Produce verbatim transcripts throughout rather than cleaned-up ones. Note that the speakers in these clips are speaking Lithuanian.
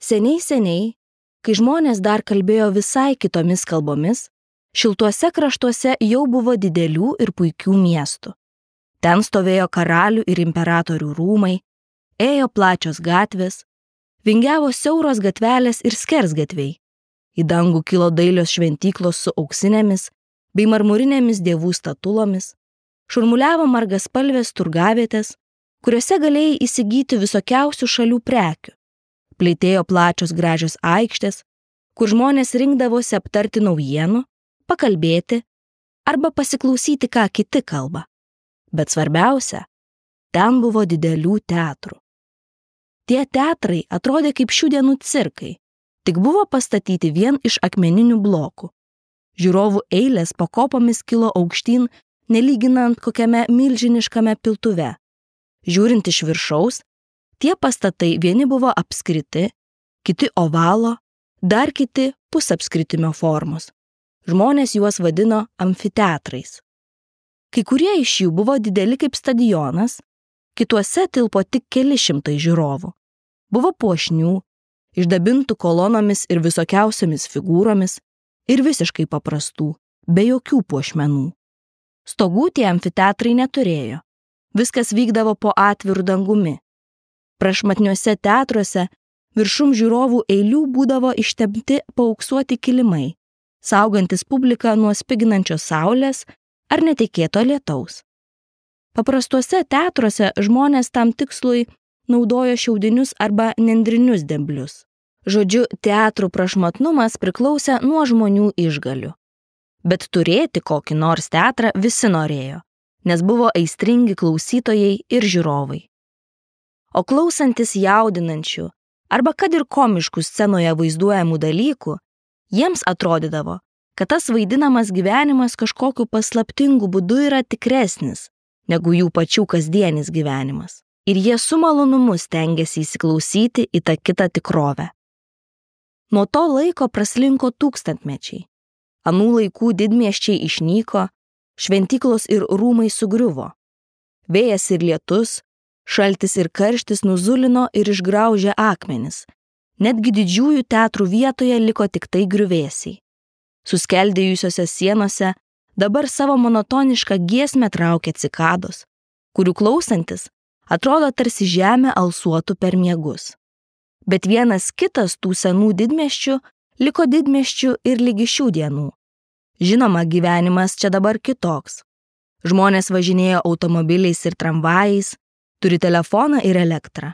Seniai seniai, kai žmonės dar kalbėjo visai kitomis kalbomis, šiltuose kraštuose jau buvo didelių ir puikių miestų. Ten stovėjo karalių ir imperatorių rūmai, ėjo plačios gatvės, vingiavo siauros gatvelės ir skersgatviai. Į dangų kilo dailios šventyklos su auksinėmis bei marmurinėmis dievų statulomis, šurmuliavo margaspalvės turgavietės, kuriuose galėjai įsigyti visokiausių šalių prekių. Plytėjo plačios gražios aikštės, kur žmonės rinkdavosi aptarti naujienų, pakalbėti arba pasiklausyti, ką kiti kalba. Bet svarbiausia, ten buvo didelių teatrų. Tie teatrai atrodė kaip šių dienų cirkai, tik buvo pastatyti vien iš akmeninių blokų. Žiūrovų eilės po kopomis kilo aukštyn, nelyginant kokiame milžiniškame piltuve. Žiūrint iš viršaus, tie pastatai vieni buvo apskriti, kiti ovalo, dar kiti pusapskritimio formos. Žmonės juos vadino amfiteatrais. Kai kurie iš jų buvo dideli kaip stadionas, kituose tilpo tik keli šimtai žiūrovų. Buvo puošnių, išdabintų kolonomis ir visokiausiomis figūromis ir visiškai paprastų, be jokių puošmenų. Stogų tie amfiteatrai neturėjo. Viskas vykdavo po atvirų dangumi. Prašmatniuose teatruose viršum žiūrovų eilių būdavo ištempti paauksuoti kilimai, saugantis publiką nuo spiginančios saulės ar netikėto lietaus. Paprastuose teatruose žmonės tam tikslui naudojo šiaudinius arba nendrinius demblius. Žodžiu, teatrų prašmatnumas priklausė nuo žmonių išgalių. Bet turėti kokį nors teatrą visi norėjo, nes buvo aistringi klausytojai ir žiūrovai. O klausantis jaudinančių arba kad ir komiškų scenoje vaizduojamų dalykų, jiems atrodydavo, kad tas vaidinamas gyvenimas kažkokiu paslaptingu būdu yra tikresnis negu jų pačių kasdienis gyvenimas. Ir jie su malonumu stengėsi įsiklausyti į tą kitą tikrovę. Nuo to laiko praslinko tūkstantmečiai. Anų laikų didmiesčiai išnyko, šventyklos ir rūmai sugriuvo. Vėjas ir lietus, šaltis ir karštis nuzulino ir išgraužė akmenis. Netgi didžiųjų teatrų vietoje liko tik tai griuvėsiai. Suskeldėjusiose sienose dabar savo monotonišką giesmę traukia cikados, kurių klausantis atrodo tarsi žemė alsuotų per miegus. Bet vienas kitas tų senų didmiesčių liko didmiesčių ir lygi šių dienų. Žinoma, gyvenimas čia dabar kitoks. Žmonės važinėjo automobiliais ir tramvajais, turi telefoną ir elektrą.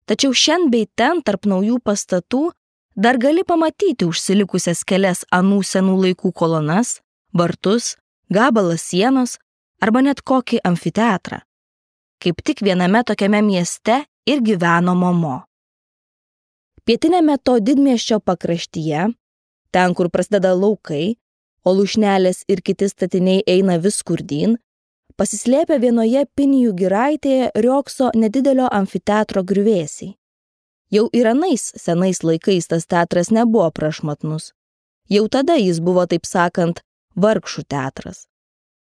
Tačiau šiandien bei ten tarp naujų pastatų dar gali pamatyti užsilikusias kelias anų senų laikų kolonas, vartus, gabalą sienos arba net kokį amfiteatrą. Kaip tik viename tokiame mieste ir gyveno Momo. Pietinėme to didmiesčio pakraštyje, ten, kur prasideda laukai, o lūšnelės ir kiti statiniai eina vis skurdyn, pasislėpę vienoje Pinijų giraitėje riogso nedidelio amfiteatro griuvėsiai. Jau ir anais senais laikais tas teatras nebuvo prašmatnus. Jau tada jis buvo, taip sakant, vargšų teatras.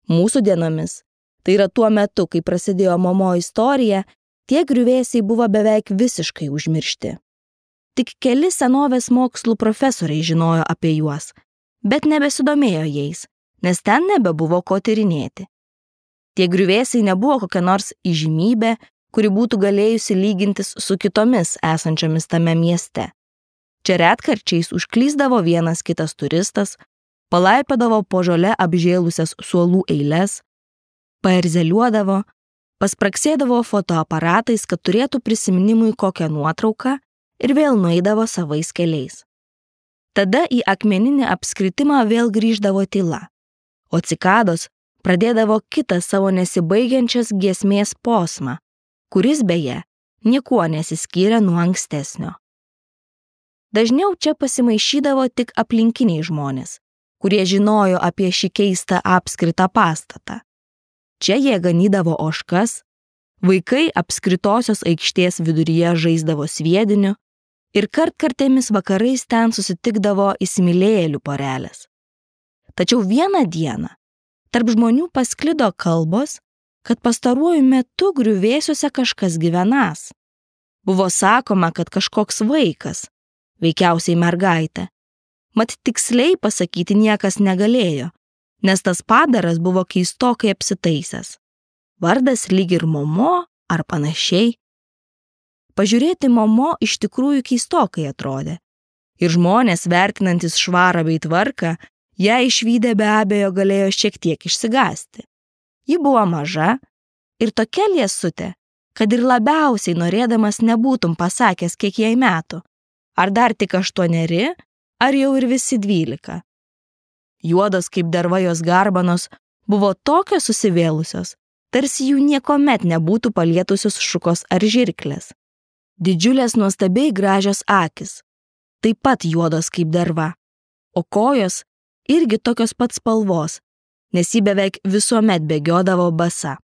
Mūsų dienomis, tai yra tuo metu, kai prasidėjo Momo istorija, tie griuvėsiai buvo beveik visiškai užmiršti. Tik keli senovės mokslų profesoriai žinojo apie juos, bet nebesidomėjo jais, nes ten nebebuvo ko tyrinėti. Tie griuvėsiai nebuvo kokia nors įžymybė, kuri būtų galėjusi lygintis su kitomis esančiomis tame mieste. Čia retkarčiais užklysdavo vienas kitas turistas, palaipėdavo po žole apžėlusias suolų eiles, paerzeliuodavo, paspraksėdavo fotoaparatais, kad turėtų prisiminimui kokią nuotrauką ir vėl nueidavo savais keliais. Tada į akmeninį apskritimą vėl grįždavo tyla, o cikados pradėdavo kitą savo nesibaigiančias giesmės posmą, kuris beje niekuo nesiskyrė nuo ankstesnio. Dažniau čia pasimaišydavo tik aplinkiniai žmonės, kurie žinojo apie šį keistą apskritą pastatą. Čia jie ganydavo ožkas, vaikai apskritosios aikštės viduryje žaisdavo sviediniu ir kartkartėmis vakarais ten susitikdavo įsimylėjėlių porelės. Tačiau vieną dieną tarp žmonių pasklido kalbos, kad pastaruoju metu griuvėsiuose kažkas gyvenąs. Buvo sakoma, kad kažkoks vaikas, veikiausiai mergaitę. Mat tiksliai pasakyti niekas negalėjo, nes tas padaras buvo keistokai apsitaisęs. Vardas lyg ir Momo ar panašiai. Pažiūrėti Momo iš tikrųjų keistokai atrodė. Ir žmonės, vertinantis švarą bei tvarką, ją išvydę be abejo galėjo šiek tiek išsigąsti. Ji buvo maža ir tokia liesutė, kad ir labiausiai norėdamas nebūtum pasakęs, kiek jai metų, ar dar tik aštuoneri, ar jau ir visi dvylika. Juodos kaip derva jos garbanos buvo tokios susivėlusios, tarsi jų niekomet nebūtų palietusios šukos ar žirklės. Didžiulės nuostabiai gražios akys, taip pat juodos kaip derva, o kojos irgi tokios pat spalvos, nes ji beveik visuomet bėgiodavo basa.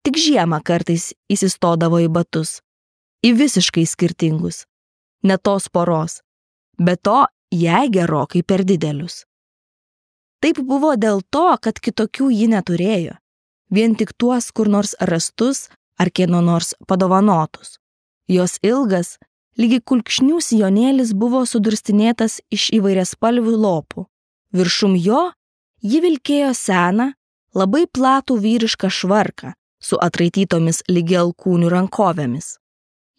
Tik žiemą kartais įsistodavo į batus, į visiškai skirtingus, ne tos poros, be to jai gerokai per didelius. Taip buvo dėl to, kad kitokių ji neturėjo, vien tik tuos kur nors rastus ar kieno nors padovanotus. Jos ilgas, lygiai kulkšnių sijonėlis buvo sudurstinėtas iš įvairiaspalvių lopų. Viršum jo ji vilkėjo seną, labai platų vyrišką švarką su atraitytomis lygi alkūnių rankovėmis.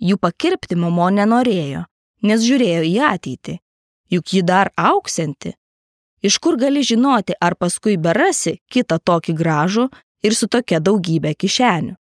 Jų pakirpti Momo nenorėjo, nes žiūrėjo į ateitį, juk ji dar augsianti. Iš kur gali žinoti, ar paskui berasi kitą tokį gražų ir su tokia daugybė kišenių.